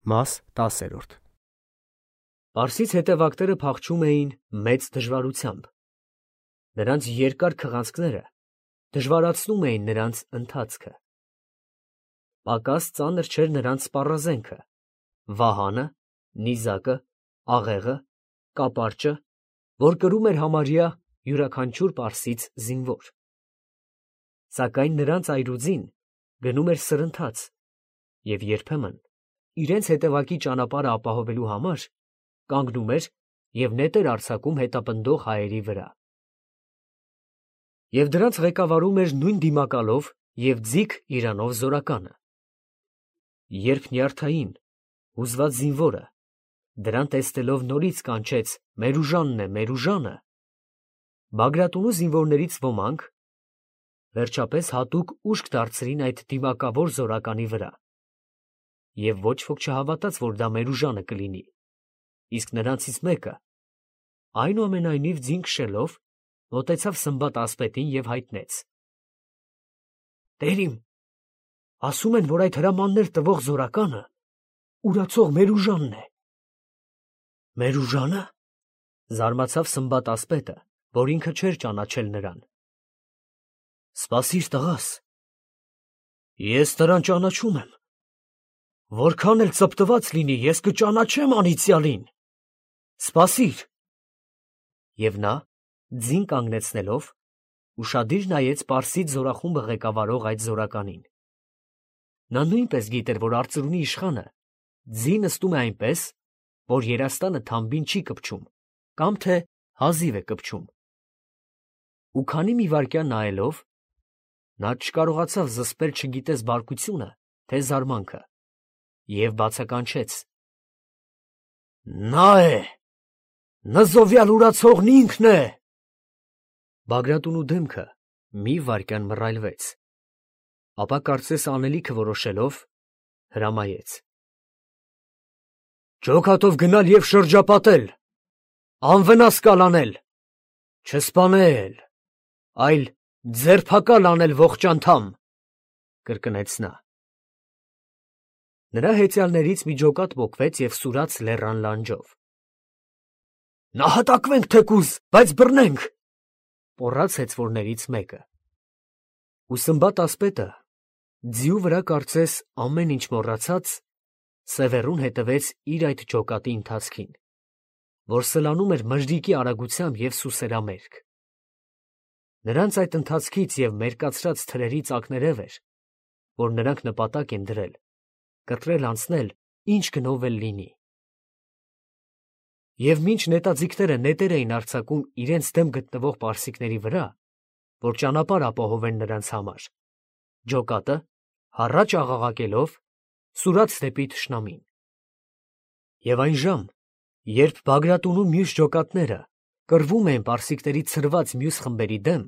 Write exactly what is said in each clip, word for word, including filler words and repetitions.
Մաս տասերորդ Պարսից հետևակները փախչում էին մեծ դժվարությամբ. նրանց երկար քղանցքները դժվարացնում էին նրանց ընթացքը. պակաս ծանր չէր նրանց սպառազենքը, վահանը, նիզակը, աղեղը, կապարճը, որ կրում էր համարյա յուրաքանչյուր պարսից զինվոր. սակայն նրանց այրուձին գնում էր սրընթաց և երբեմն իրենց հետևակի ճանապարհը ապահովելու համար կանգնում էր և նետեր արձակում հետապնդող հայերի վրա. և դրանց ղեկավարում էր նույն դիմակալով և ձիգ իրանով զորականը. երբ նյարդային, հուզված զինվորը դրան տեսնելով նորից կանչեց «Մեր ուժանն է, մեր ուժանը», Բագրատունու զինվորներից ոմանք վերջապես հատուկ ուշք դարձրին այդ դիմակավոր զորականի վրա, և ոչ ոք չհավատաց, որ դա Մերուժանը կլինի, իսկ նրանցից մեկը, այնուամենայնիվ ձին քշելով, մոտեցավ Սմբատ ասպետին և հայտնեց. «Տեր իմ, ասում են, որ այդ հրամաններ տվող զորականը ուրացող Մերուժանն է»։ «Մերուժա՞նը», զարմացավ Սմբատ ասպետը, որ ինքը չէր ճանաչել նրան. «Սպասիր, տղաս, ես նրան ճանաչում եմ, որքան էլ ծպտված լինի, ես կճանաչեմ անիծյալին, սպասիր»։ Եվ նա, ձին կանգնեցնելով, ուշադիր նայեց պարսից զորախումբը ղեկավարող այդ զորականին. նա նույնպես գիտեր, որ արծրունի իշխանը ձի նստում է այնպես, որ երաստանը թամբին չի կպչում կամ թե հազիվ է կպչում, ու քանի մի վայրկյան նայելով, նա չկարողացավ զսպել չգիտես բարկությունը, թե զարմանքը, և բացականչեց. «Նա է, նզովյալ ուրացողն ինքն է»։ Բագրատունու դեմքը մի վայրկյան մռայլվեց, ապա կարծես անելիքը որոշելով, հրամայեց. «Ջոկատով գնալ և շրջապատել, անվնաս կալանել, չսպանել, այլ ձերբակալ անել ողջ անդամ», կրկնեց նա: Նրա հեծյալներից մի ջոկատ պոկվեց և սուրաց լեռան լանջով: «Նահատակվենք թեկուզ, բայց բռնենք», պոռաց հեծվորներից մեկը: Ու Սմբատ ասպետը, ձիու վրա կարծես ամեն ինչ մոռացած, սևեռուն հետևեց իր այդ ջոկատի ընթացքին, որ սլանում էր մժրիկի արագությամբ և սուսերամերկ: Նրանց այդ ընթացքից և մերկացրած թրերի ծակներև էր, որ նրանք նպատակ են դրել կտրել անցնել ինչ գնով էլ լինի: Եվ մինչ նետաձիգները նետեր էին արձակում իրենց դեմ գտնվող պարսիկների վրա, որ ճանապարհ ապահովեն նրանց համար, ջոկատը, հառաչ աղաղակելով, սուրաց դեպի թշնամին: Եվ այն ժամ, երբ Բագրատունու մյուս ջոկատները կռվում էին պարսիկների ցրված մյուս խմբերի դեմ,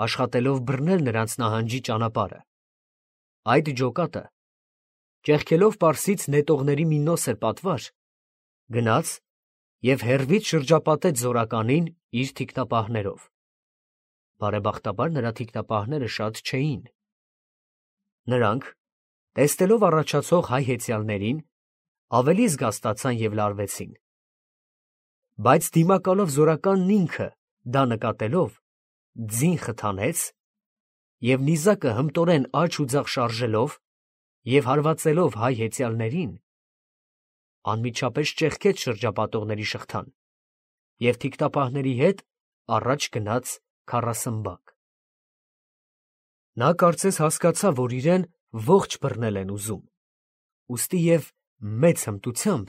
աշխատելով բռնել նրանց նահանջի ճանապարհը, այդ ջոկատը, ճեղքելով պարսից նետողների մի նոսր պատվար, գնաց և հեռվից շրջապատեց զորականին իր թիկնապահներով: Բարեբախտաբար նրա թիկնապահները շատ չէին: Նրանք, տեսնելով առաջացող հայ հեծյալներին, ավելի զգաստացան և լարվեցին: Բայց դիմակալով զորականն ինքը, դա նկատելով, ձին խթանեց և նիզակը հմտորեն աջ ու ձախ շարժելով և հարվածելով հայ հեծյալներին, անմիջապես ճեղքեց շրջապատողների շղթան և թիկնապահների հետ առաջ գնաց քառասմբակ: Նա կարծես հասկացավ, որ իրեն ողջ բռնել են ուզում, ուստի և մեծ հմտությամբ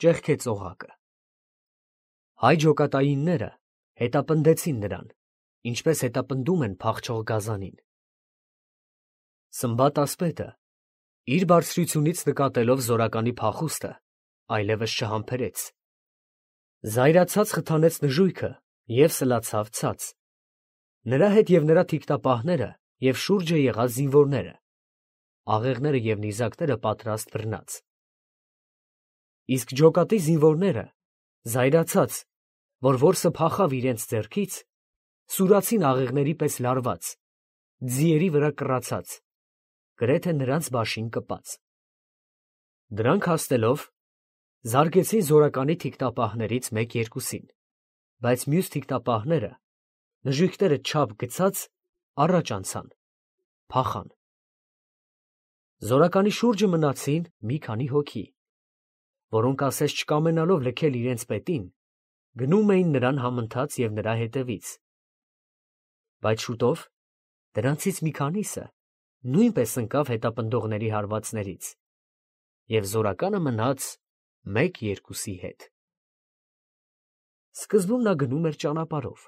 ճեղքեց օղակը: Հայ ջոկատայինները հետապնդեցին նրան, ինչպես հետապնդում են փախչող գազանին: Սմբատ ասպետը, իր բարձրությունից նկատելով զորականի փախուստը, այլևս չհամբերեց: Զայրացած խթանեց նժույգը և սլացավ ցած, նրա հետ և նրա թիկնապահները և շուրջը եղած զինվորները, աղեղները և նիզակները պատրաստ բռնած: Իսկ ջոկատի զինվորները, զայրացած, որ որսը փախավ իրենց ձեռքից, սուրացին աղեղների պես լարված, ձիերի վրա կռացած, գրեթե նրանց բաշին կպած: Դրանք հասնելով զարգեցին զորականի թիկնապահներից մեկ-երկուսին, բայց մյուս թիկնապահները, նժույգները չափ գցած, առաջ անցան, փախան։ Զորականի շուրջը մնացին մի քանի հոգի, որոնք ասես չկամենալով լքել իրենց պետին, գնում էին նրան համընթաց և նրա հետևից։ Բայց շուտով դրանցից մի քանիսը նույնպես ընկավ հետապնդողների հարվածներից, և զորականը մնաց մեկ-երկուսի հետ։ Սկզբում նա գնում էր ճանապարհով,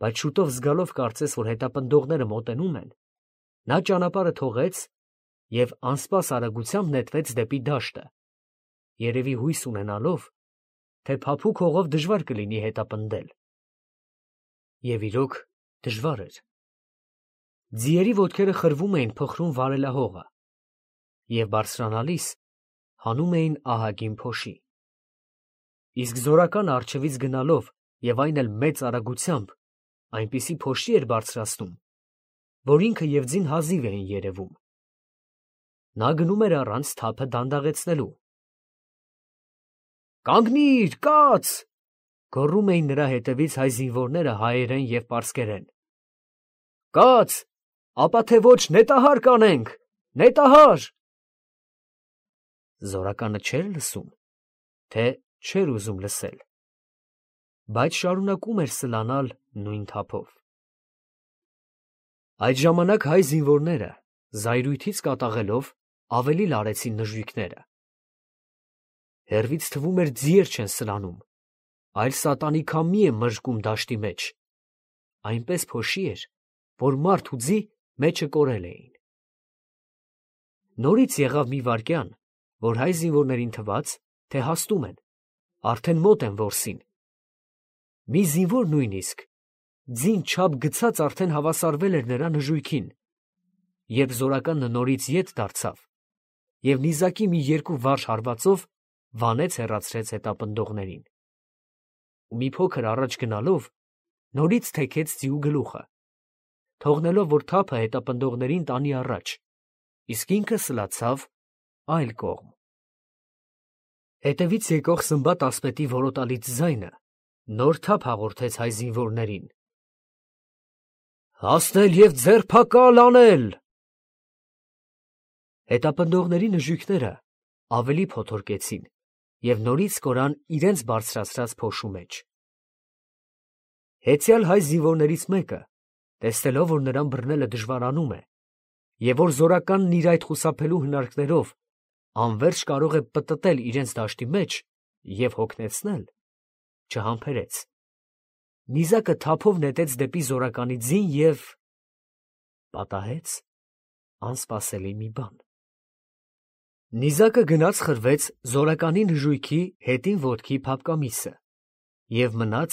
բայց շուտով զգալով կարծես, որ հետապնդողները մոտենում են, նա ճանապարհը թողեց և անսպաս արագությամբ նետվեց դեպի դաշտը, երևի հույս ունենալով, թե փափուկ հողով դժվար կլինի հետապնդել։ Եվ իրոք դժվար էր։ Ձիերի ոտքերը խրվում էին փխրուն վարելահողը և բարձրանալիս հանում էին ահագին փոշի։ Իսկ զորականը առջևից գնալով և այն էլ մեծ արագությամբ այնպիսի փոշի էր բարձրացնում, որ ինքը և ձին հազիվ էին երևում։ Նա գնում էր առանց թափը դանդաղեցնելու։ «Կանգնի՛ր, կաց», գոռում էին նրա հետևից հայ զինվորները հայերեն և պարսկերեն։ «Կաց, ապա թե ոչ նետահար կանենք, նետահար»։ Զորականը չէր լսում, թե չէր ուզում լսել, բայց շարունակում էր սլանալ նույն թափով։ Այդ ժամանակ հայ զինվորները, զայրույթից կատաղելով, ավելի լարեցին նժույգները։ Հեռվից թվում էր ձիեր չեն սլանում, այլ սատանի քամի է մժկում դաշտի մեջ, այնպես փոշի էր, որ մարդ ու ձի մեջը կորել էին։ Նորից եղավ մի վայրկյան, որ հայ զինվորներին թվաց, թե հասնում են, արդեն մոտ են որսին։ Մի զինվոր նույնիսկ ձին չափ գցած արդեն հավասարվել էր նրա նժույգին, երբ զորականը նորից ետ դարձավ և նիզակի մի երկու վարժ հարվածով վանեց հեռացրեց հետապնդողներին։ Ու մի փոքր առաջ գնալով նորից թեքեց ձիու գլուխը, թողնելով, որ թափը հետապնդողներին տանի առաջ, իսկ ինքը սլացավ այլ կողմ։ Հետևից եկող Սմբատ ասպետի որոտալից ձայնը նոր թափ հաղորդեց հայ զինվորներին. «Հասնել և ձերբակալ անել»։ Հետապնդողների նժույգները ավելի փոթորկեցին և նորից կորան իրենց բարձրացրած փոշու մեջ։ Հեծյալ հայ զինվորներից մեկը, տեսնելով, որ նրան բռնելը դժվարանում է, և որ զորականն իր այդ խուսափելու հնարքներով անվերջ կարող է պտտել իրենց դաշտի մեջ և հոգնեցնել, չհամբերեց. նիզակը թափով նետեց դեպի զորականի ձին և… պատահեց անսպասելի մի բան։ Նիզակը գնաց խրվեց զորականի նժույգի հետին ոտքի փափկամիսը և մնաց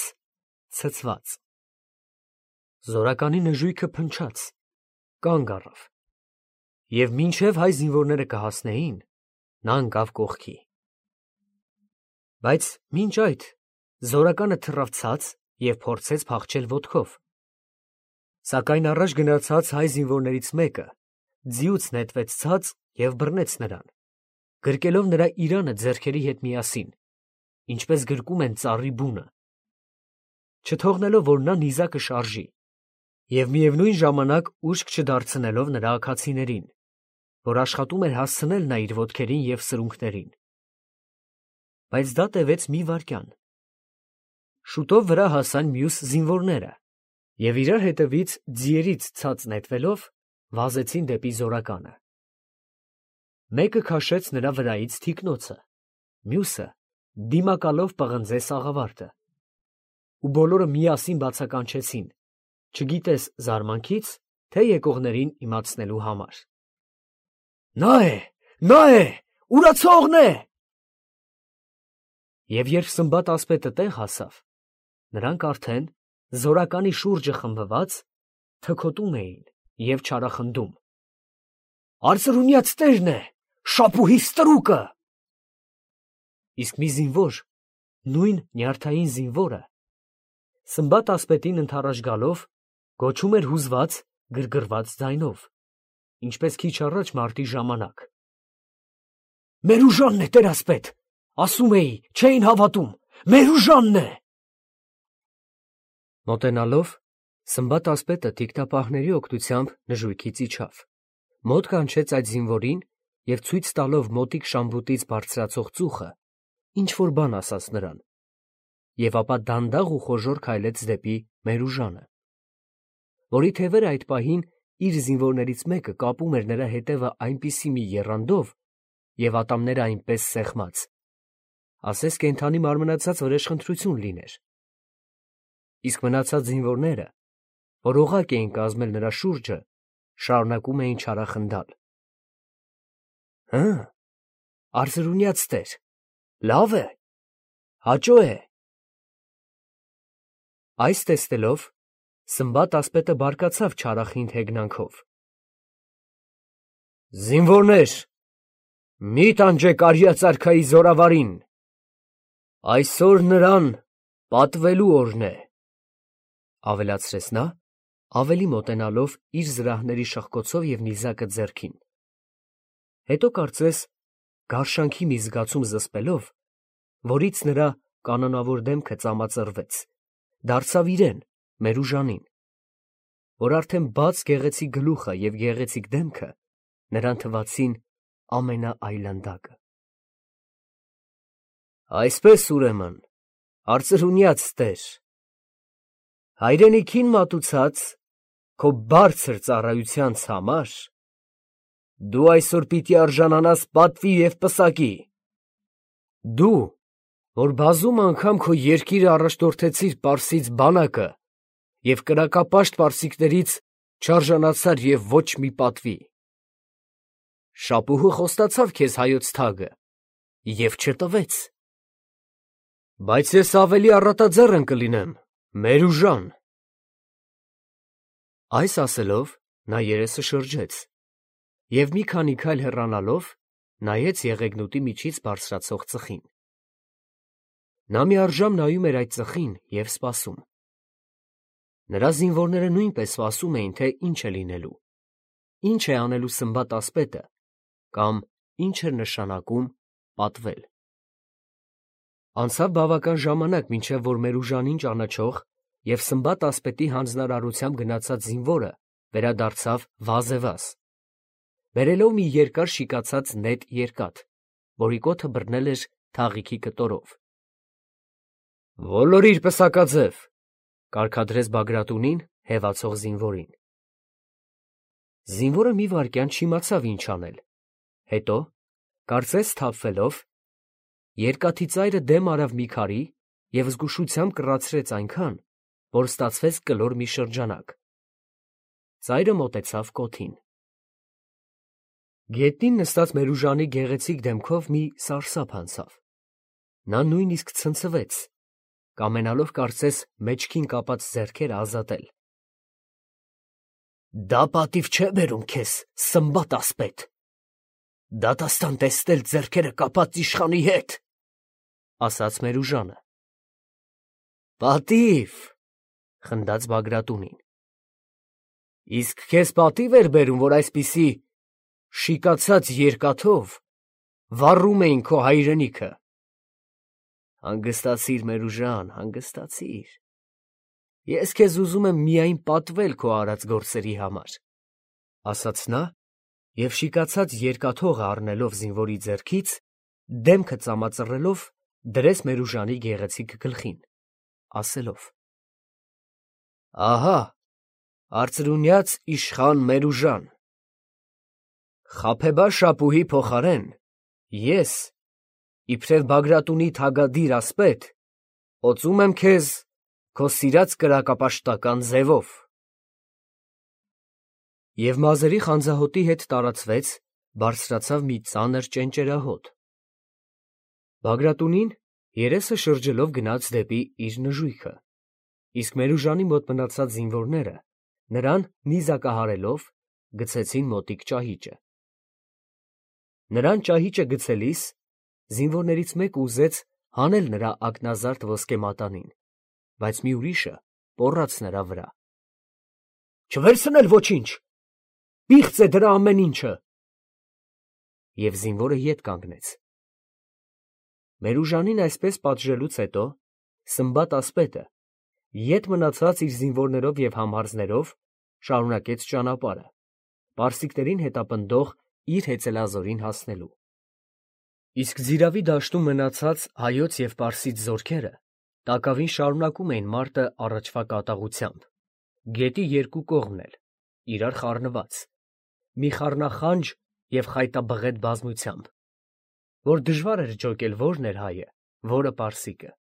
ցցված։ Զորականի նժույգը փնչաց, կանգ առավ, և մինչև հայ զինվորները կհասնեին, նա ընկավ կողքի։ Բայց մինչ այդ զորականը թռավ ցած և փորձեց փախչել ոտքով։ Սակայն առաջ գնացած հայ զինվորներից մեկը ձիուց նետվեց ցած և բռնեց նրան, գրկելով նրա իրանը ձեռքերի հետ միասին, ինչպես գրկում են ծառի բունը, չթողնելով, որ նա նիզակը շարժի, և միևնույն ժամանակ ուշք չդարձնելով նրա աքացիներին, որ աշխատում էր հասցնել նա իր ոտքերին և սրունքներին։ Բայց դա տևեց մի վայրկյան։ Շուտով վրա հասան մյուս զինվորները և իրար հետևից ձիերից ցած նետվելով վազեցին դեպի զորականը։ Մեկը քաշեց նրա վրայից թիկնոցը, մյուսը դիմակալով պղնձեց աղավարտը, ու բոլորը միասին բացականչեցին, չգիտես զարմանքից, թե եկողներին իմացնելու համար. «Նա է, նա է, ուրացողն է»։ Եվ երբ Սմբատ ասպետը տեղ հասավ, նրանք արդեն, զորականի շուրջը խմբված, թքոտում էին և չարախնդում. «Արծրունյաց տերն է, շապուհի ստրուկը»։ Իսկ մի զինվոր, նույն նյարդային զինվորը, Սմբատ ասպետին ընդառաջ գալով, գոչում էր հուզված, գրգռված ձայնով, ինչպես քիչ առաջ մարտի ժամանակ. Մերուժանն է, տերասպետ, ասում էի, չէին հավատում, Մերուժանն է։ Մոտենալով, Սմբատ ասպետը թիկնապահների օգնությամբ նժույգից իջավ, մոտ կանչեց այդ զինվորին և ցույց տալով մոտիկ շամբուտից բարձրացող ծուխը, ինչ-որ բան ասաց նրան, և ապա դանդաղ ու խոժոռ քայլեց դեպի Մերուժանը, որի թևերը այդ պահին իր զինվորներից մեկը կապում էր նրա հետևը այնպիսի մի եռանդով և ատամները այնպես սեղմած, ասես կենդանի մարմնացած վրեժխնդրություն լիներ, իսկ մնացած զինվորները, որ օղակ էին կազմել նրա շուրջը, շարունակում էին չարախնդալ. «Հը, արծրունյաց տեր, լավ է, հաճո է»։ Այս տեսնելով, Սմբատ ասպետը բարկացավ չարախինդ հեգնանքով. «Զինվորներ, մի տանջեք արիած արքայի զորավարին, այսօր նրան պատվելու օրն է», ավելացրեց նա, ավելի մոտենալով իր զրահների շղկոցով և նիզակը ձեռքին, հետո կարծես գարշանքի մի զգացում զսպելով, որից նրա կանոնավոր դեմքը ծամածռվեց, դարձավ իրեն, Մերուժանին, որ արդեն բաց գեղեցիկ գլուխը և գեղեցիկ դեմքը նրան թվացին ամենաայլանդակը։ «Այսպես, ուրեմն, արծրունյաց տեր, հայրենիքին մատուցած քո բարձր ծառայությանց համար դու այսօր պիտի արժանանաս պատվի և պսակի, դու, որ բազում անգամ քո երկիրը առաջնորդեցիր պարսից բանակը և կրակապաշտ պարսիկներից չարժանացար և ոչ մի պատվի, շապուհը խոստացավ քեզ հայոց թագը և չտվեց, բայց ես ավելի առատաձեռն կլինեմ, Մերուժան»։ Այս ասելով, նա երեսը շրջեց և մի քանի քայլ հեռանալով, նայեց եղեգնուտի միջից բարձրացող ծխին. նա միառժամ նայում էր այդ ծխին և սպասում, նրա զինվորները նույնպես սպասում էին, թե ինչ է լինելու, ինչ է անելու Սմբատ ասպետը կամ ինչ էր նշանակում պատվել։ Անցավ բավական ժամանակ, մինչև որ Մերուժանին ճանաչող և Սմբատ ասպետի հանձնարարությամբ գնացած զինվորը վերադարձավ վազևազ, բերելով մի երկար շիկացած նետ երկաթ, որի կոթը բռնել էր թաղիքի կտորով։ «Ոլորիր պսակաձև», կարգադրեց Բագրատունին հևացող զինվորին։ Զինվորը մի վայրկյան չիմացավ ինչ անել, հետո, կարծես սթափվելով, երկաթի ծայրը դեմ արավ մի քարի և զգուշությամբ կռացրեց այնքան, որ ստացվեց կլոր մի շրջանակ, ծայրը մոտեցավ կոթին։ Գետնին նստած Մերուժանի գեղեցիկ դեմքով մի սարսափ անցավ, նա նույնիսկ ցնցվեց, կամենալով կարծես մեջքին կապած ձեռքերը ազատել։ «Դա պատիվ չէ բերում քեզ, Սմբատ ասպետ, դատաստան տեսնել ձեռքերը կապած իշխանի հետ», ասաց Մերուժանը։ «Պատիվ», խնդաց Բագրատունին, իսկ քեզ պատիվ էր բերում, որ այսպիսի շիկացած երկաթով վառում էին քո հայրենիքը։ Հանգստացիր, Մերուժան, հանգստացիր, ես քեզ ուզում եմ միայն պատվել քո արած գործերի համար, ասաց նա և շիկացած երկաթողը առնելով զինվորի ձեռքից, դեմքը ծամածռելով, դրեց Մերուժանի գեղեցիկ գլխին, ասելով. «Ահա, արծրունյաց իշխան Մերուժան, խաբեբա շապուհի փոխարեն ես, իբրև Բագրատունի թագադիր ասպետ, օծում եմ քեզ քո սիրած կրակապաշտական ձևով»։ Եվ մազերի խանձահոտի հետ տարածվեց, բարձրացավ մի ծանր ճենճերահոտ։ Բագրատունին երեսը շրջելով գնաց դեպի իր նժույգը, իսկ Մերուժանի մոտ մնացած զինվորները նրան նիզակահարելով գցեցին մոտիկ ճահիճը։ Նրան ճահիճը գցելիս զինվորներից մեկը ուզեց հանել նրա ակնազարդ ոսկե մատանին, բայց մի ուրիշը պոռաց նրա վրա. «Չվերցնել ոչինչ, պիղծ է դրա ամեն ինչը»։ և զինվորը ետ կանգնեց։ Մերուժանին այսպես պատժելուց հետո Սմբատ ասպետը, ետ մնացած իր զինվորներով և համարզներով, շարունակեց ճանապարհը, պարսիկներին հետապնդող իր հեծելազորին հասնելու։ Իսկ Ձիրավի դաշտում մնացած հայոց և պարսից զորքերը տակավին շարունակում էին մարտը առաջվա կատաղությամբ, գետի երկու կողմն էլ, իրար խառնված, մի խառնախանջ և խայտաբղետ բազմությամբ, որ դժվար էր ջոկել որն էր հայը, որը պարսիկը։